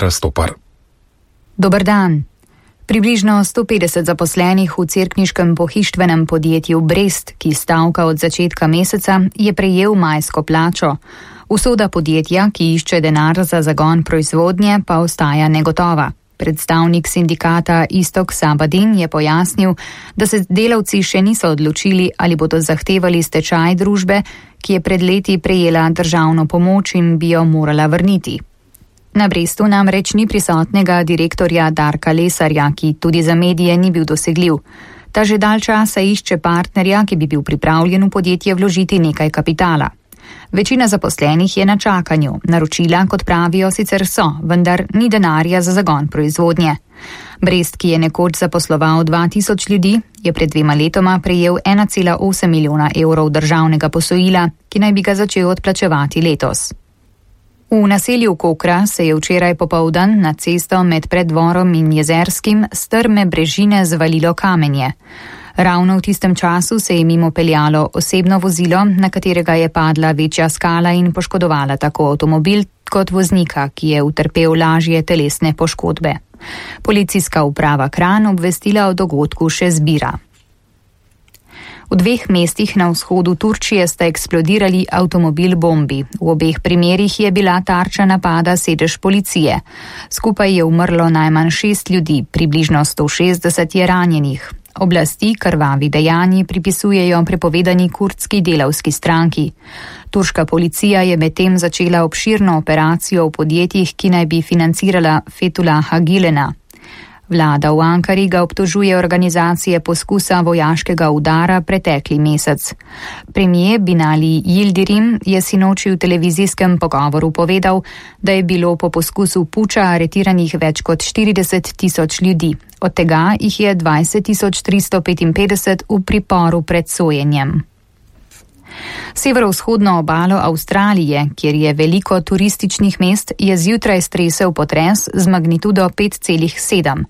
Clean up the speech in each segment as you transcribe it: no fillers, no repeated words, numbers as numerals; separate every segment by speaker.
Speaker 1: Rastopar.
Speaker 2: Dober dan. Približno 150 zaposlenih v cerkniškem pohištvenem podjetju Brest, ki stavka od začetka meseca, je prejel majsko plačo. Usoda podjetja, ki išče denar za zagon proizvodnje, pa ostaja negotova. Predstavnik sindikata Istok Sabadin je pojasnil, da se delavci še niso odločili, ali bodo zahtevali stečaj družbe, ki je pred leti prejela državno pomoč in bi jo morala vrniti. Na Brestu namreč ni prisotnega direktorja Darka Lesarja, ki tudi za medije ni bil dosegljiv. Ta že dalj časa išče partnerja, ki bi bil pripravljen v podjetje vložiti nekaj kapitala. Večina zaposlenih je na čakanju, naročila, kot pravijo, sicer so, vendar ni denarja za zagon proizvodnje. Brest, ki je nekoč zaposloval 2000 ljudi, je pred 2 letoma prejel 1,8 milijona evrov državnega posojila, ki naj bi ga začel odplačevati letos. V naselju Kokra se je včeraj popoldan na cesto med Preddvorom in Jezerskim strme brežine zvalilo kamenje. Ravno v tistem času se je mimo peljalo osebno vozilo, na katerega je padla večja skala in poškodovala tako avtomobil kot voznika, ki je utrpel lažje telesne poškodbe. Policijska uprava Kranj obvestila o dogodku še zbira. V 2 mestih na vzhodu Turčije sta eksplodirali avtomobil bombi. V obeh primerih je bila tarča napada sedež policije. Skupaj je umrlo najmanj 6 ljudi, približno 160 je ranjenih. Oblasti krvavi dejanji pripisujejo prepovedani kurdski delavski stranki. Turška policija je medtem začela obširno operacijo v podjetjih, ki naj bi financirala Fethullaha Gülena. Vlada v Ankari ga obtožuje organizacije poskusa vojaškega udara pretekli mesec. Premijer Binali Yildirim je sinoči v televizijskem pogovoru povedal, da je bilo po poskusu puča aretiranih več kot 40.000 ljudi. Od tega jih je 20.355 v priporu pred sojenjem. Severovzhodno obalo Avstralije, kjer je veliko turističnih mest, je zjutraj stresel potres z magnitudo 5,7.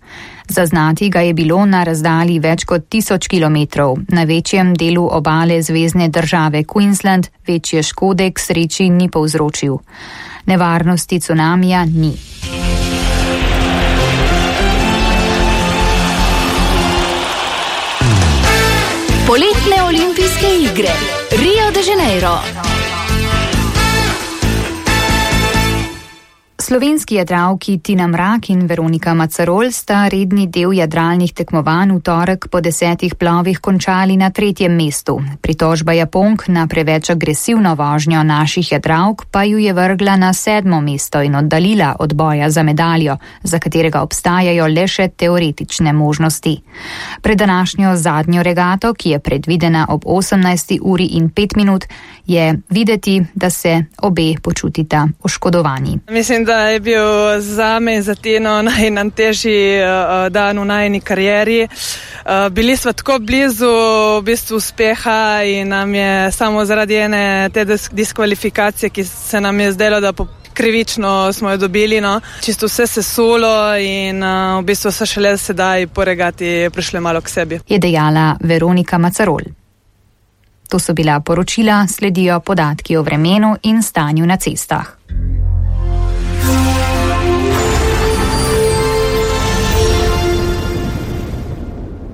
Speaker 2: Zaznati ga je bilo na razdalji več kot 1000 kilometrov. Na večjem delu obale zvezne države Queensland večje škode k sreči ni povzročil. Nevarnosti cunamija ni.
Speaker 3: Poletne olimpijske igre Rio de Janeiro.
Speaker 2: Slovenski jadralki Tina Mrak in Veronika Macarol sta redni del jadralnih tekmovanj v torek po 10 plovih končali na 3. mestu. Pritožba Japonk na preveč agresivno vožnjo naših jadralk pa ju je vrgla na 7. mesto in oddaljila od boja za medaljo, za katerega obstajajo le še teoretične možnosti. Pred današnjo zadnjo regato, ki je predvidena ob 18:05, je videti, da se obe počutita oškodovani.
Speaker 4: Mislim, da je bil zame in za Tino najtežji dan v najini karieri. Bili smo tako blizu v bistvu uspeha in nam je samo zaradi ene te diskvalifikacije, ki se nam je zdelo, da krivično smo jo dobili, čisto vse sesulo in v bistvu so šele sedaj po regati prišli malo k sebi.
Speaker 2: Je dejala Veronika Macarol. To so bila poročila, sledijo podatki o vremenu in stanju na cestah.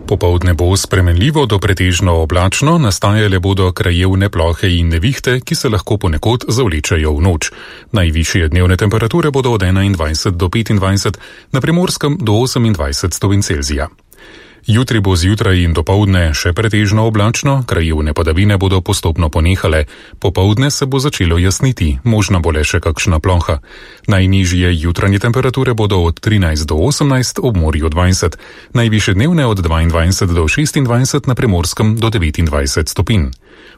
Speaker 1: Popoldne bo spremenljivo do pretežno oblačno, nastajale bodo krajevne plohe in nevihte, ki se lahko ponekod zavlečejo v noč. Najvišje dnevne temperature bodo od 21 do 25, na Primorskem do 28 stopinj Celzija. Jutri bo zjutraj in dopoldne še pretežno oblačno, krajevne padavine bodo postopno ponehale, popoldne se bo začelo jasniti, možna bo le še kakšna ploha. Najnižje jutranje temperature bodo od 13 do 18, ob morju 20, najvišje dnevne od 22 do 26, na Primorskem do 29 stopinj.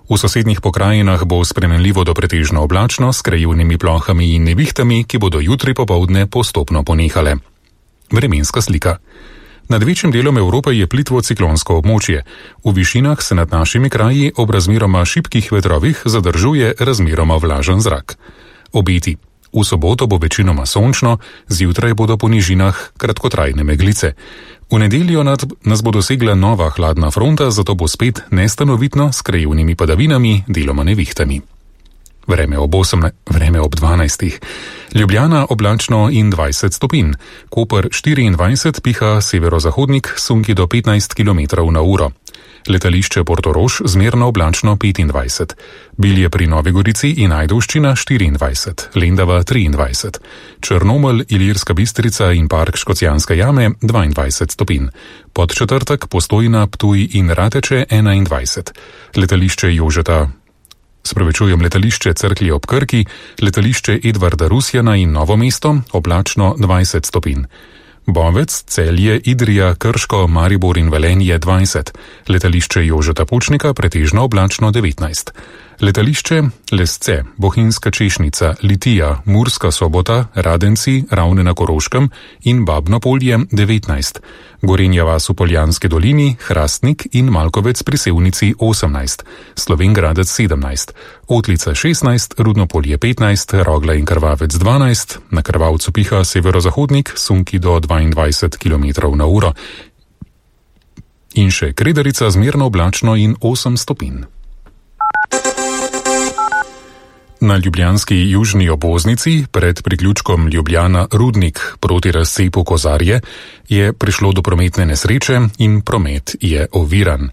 Speaker 1: V sosednjih pokrajinah bo spremenljivo do pretežno oblačno s krajevnimi plohami in nevihtami, ki bodo jutri popoldne postopno ponehale. Vremenska slika. Nad večjim delom Evrope je plitvo ciklonsko območje. V višinah se nad našimi kraji ob razmeroma šibkih vetrovih zadržuje razmeroma vlažen zrak. Obeti. V soboto bo večinoma sončno, zjutraj bodo po nižinah kratkotrajne meglice. V nedeljo nas bo dosegla nova hladna fronta, zato bo spet nestanovitno s krajevnimi padavinami, deloma nevihtami. vreme ob 12. Ljubljana oblačno in 20 stopinj, Koper 24, piha severozahodnik, sunki do 15 km/h. Letališče Portorož zmerno oblačno 25, Bilje pri Novi Gorici in Ajdovščina 24, Lendava 23, Črnomelj, Ilirska Bistrica in park Škocjanske jame 22 stopinj, Podčetrtek, Postojna, Ptuj in Rateče 21, letališče Cerklje ob Krki, letališče Edvarda Rusjana in Novo mesto oblačno 20 stopinj. Bovec, Celje, Idrija, Krško, Maribor in Velenje 20, letališče Jožeta Pučnika pretežno oblačno 19, letališče Lesce, Bohinjska Češnica, Litija, Murska Sobota, Radenci, Ravne na Koroškem in Babno Polje 19, Gorenja vas v Poljanski dolini, Hrastnik in Malkovec pri Sevnici 18, Slovengradec 17, Otlica 16, Rudno Polje 15, Rogla in Krvavec 12, na Krvavcu piha severozahodnik, sunki do 22 km/h in še Kredarica zmerno oblačno in 8 stopinj. Na ljubljanski južni obvoznici pred priključkom Ljubljana-Rudnik proti razcepu Kozarje je prišlo do prometne nesreče in promet je oviran.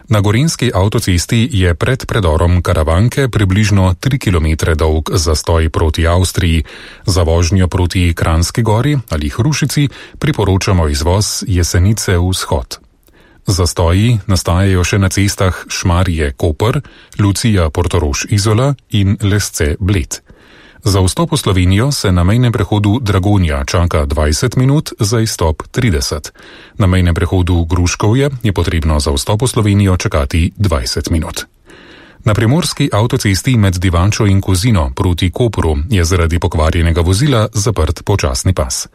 Speaker 1: Na gorenjski avtocesti je pred predorom Karavanke približno 3 km dolg zastoj proti Avstriji. Za vožnjo proti Kranjski gori ali Hrušici priporočamo izvoz Jesenice vzhod. Zastoji nastajajo še na cestah Šmarje-Koper, Lucija-Portorož-Izola in Lesce-Bled. Za vstop v Slovenijo se na mejnem prehodu Dragonja čaka 20 minut, za izstop 30. Na mejnem prehodu Gruškovje je potrebno za vstop v Slovenijo čakati 20 minut. Na primorski avtocesti med Divančo in Kozino proti Kopru je zaradi pokvarjenega vozila zaprt počasni pas.